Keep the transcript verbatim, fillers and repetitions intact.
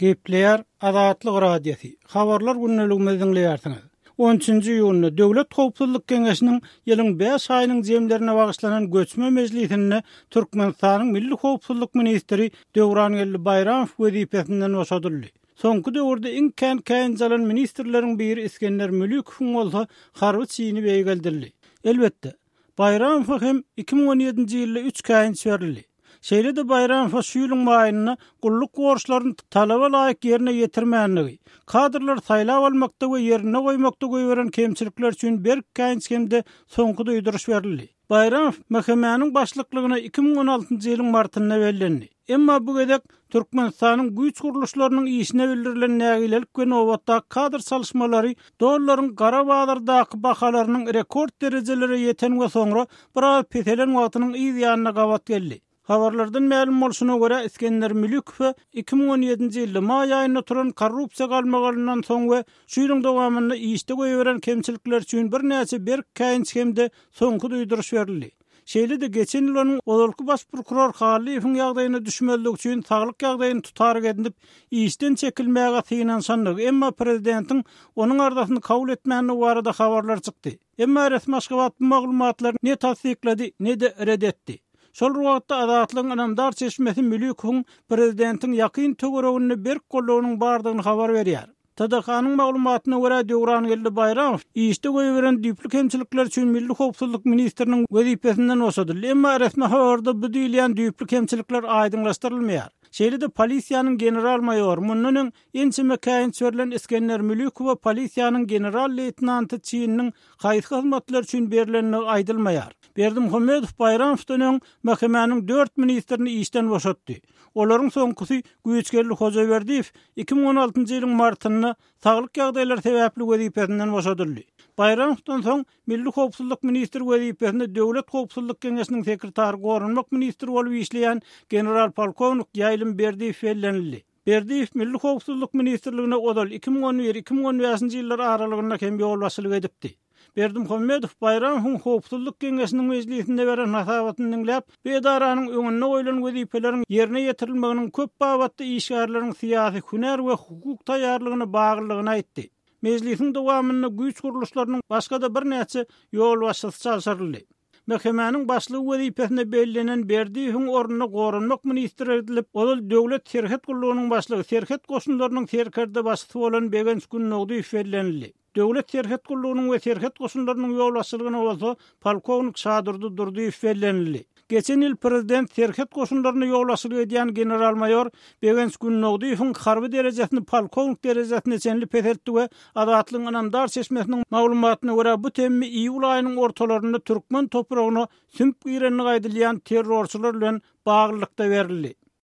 Gepleýär Azatlyk Radiosy. Habarlar gündeligimizi diňleýärsiňiz. on üçünji iýunda Döwlet Howpsuzlyk Geňeşiniň ýylyň bäş aýynyň jemlerine bagyşlanan göçme mejlisinde Türkmenistanyň Milli Howpsuzlyk ministri Döwrangeldi Baýramow wezipesinden boşadyldy. Soňky döwürde iň kän käýinç alan ministrleriň biri Iskender Mülükowyň bolsa harby çini beýgeldildi. Elbetde, Baýramowa hem iki müň on ýedinji ýylda üç käýinç berildi. Şeýle-de Baýramowa şu ýylyň maýynda gulluk borçlaryny talaba laýyk ýerine ýetirmänligi, kadrlar saýlap almakda we ýerine goýmakda goýberen kemçilikler üçin berk käýinç hem-de soňky duýduryş berildi. Baýramow M H M-niň başlyklygyna iki müň on altynjy ýylyň martynda bellendi. Emma bu gezek Türkmenistanyň güýç gurluşlarynyň işine bildirilen nägilelik we nobatdaky kadr çalyşmalary dollaryň gara bazardaky bahalarynyň rekord derejelere ýeten we soňra biraz peselen wagtynyň yz ýanyna gabat geldi. Habarlardan mälim bolşuna görä Iskender Mülükow iki müň on ýedinji ýylda maý aýynda turan korrupsiýa galmagalyndan soň we şu ýylyň dowamynda işde goýberen kemçilikler üçin birnäçe berk käýinç hem-de soňky duýduryş berildi. Şeýle-de geçen ýyl onuň ozalky baş prokuror Hallyýewiň ýagdaýyna düşmezlik üçin saglyk ýagdaýyny tutaryk edinip, işden çekilmäge synanyşandygy, emma prezidentiň onuň arzasyny kabul etmänligi barada habarlar çykdy. Emma resmi Aşgabat bu maglumatlary ne tassyklady, ne-de red etdi. Şol wagtda Azatlygyň ynamdar çeşmesi Mülükowyň prezidentiň ýakyn töwereginde berk goldawynyň bardygyny habar berýär. T D K-nyň maglumatyna görä Döwrangeldi Baýramow işde goýberen düýpli kemçilikler üçin Milli Howpsuzlyk ministriniň wezipesinden boşadyldy. Emma resmi habarda bu diýilýän düýpli kemçilikler aýdyňlaşdyrylmaýar. Şeýle-de polisiýanyň general-maýory mundan öň ençeme käýinç berlen Iskender Mülükowa polisiýanyň general-leýtenanty Çininiň haýsy hyzmatlar üçin berlenligi aýdylmaýar. Berdimuhamedow Baýramowdan öň M H M-niň dört ministrini işden boşatdy. Olaryň soňkusy Güýçgeldi Hojaberdiýew iki müň on altynjy ýylyň martynda saglyk ýagdaýlary sebäpli wezipesinden boşadyldy. Baýramowdan soň Milli Howpsuzlyk ministri wezipesinde Döwlet Howpsuzlyk Geňeşiniň sekretary Goranmak ministri bolup işleýän general-polkownik Ýaýlym Berdiýew bellenildi. Berdiýew Milli Howpsuzlyk ministrligine ozal iki müň on bir iki müň on bäşinji ýyllar aralygynda hem ýolbaşçylyk edipdi. Berdimuhamedow Baýramowyň Howpsuzlyk Geňeşiniň mejlisinde beren hasabatyny diňläp, bu edaranyň öňünde goýlan wezipeleriň ýerine ýetirilmeginiň köp babatda işgärleriň syýasy, hünär we hukuk taýýarlygyna baglylygyny aýtdy. Mejlisiň dowamynda güýç gurluşlarynyň başga-da birnäçe ýolbaşçysy çalşyryldy. M H M-niň başlygy wezipesine bellenen Berdiýewiň ornuna Goranmak ministri edilip, ozal Döwlet Serhet gullugynyň başlygy, Serhet goşunlarynyň serkerde başçysy bolan Begenç Günnogdyýew bellenildi. Döwlet Serhet gullugynyň we Serhet goşunlarynyň ýolbaşçylygyna bolsa polkownik Şadurdy Durdyýew bellenildi. Geçen ýyl prezident Serhet goşunlaryny ýolbaşçylyk edýän general-maýor Begenç Günnogdyýewiň harby derejesini polkownik derejesine çenli peseltdi we Azatlygyň ynamdar çeşmesiniň maglumatyna görä bu temmi iýul aýynyň ortalarynda türkmen topragyna sümp girenligi aýdylýan terrorçylar bilen baglylykda berildi.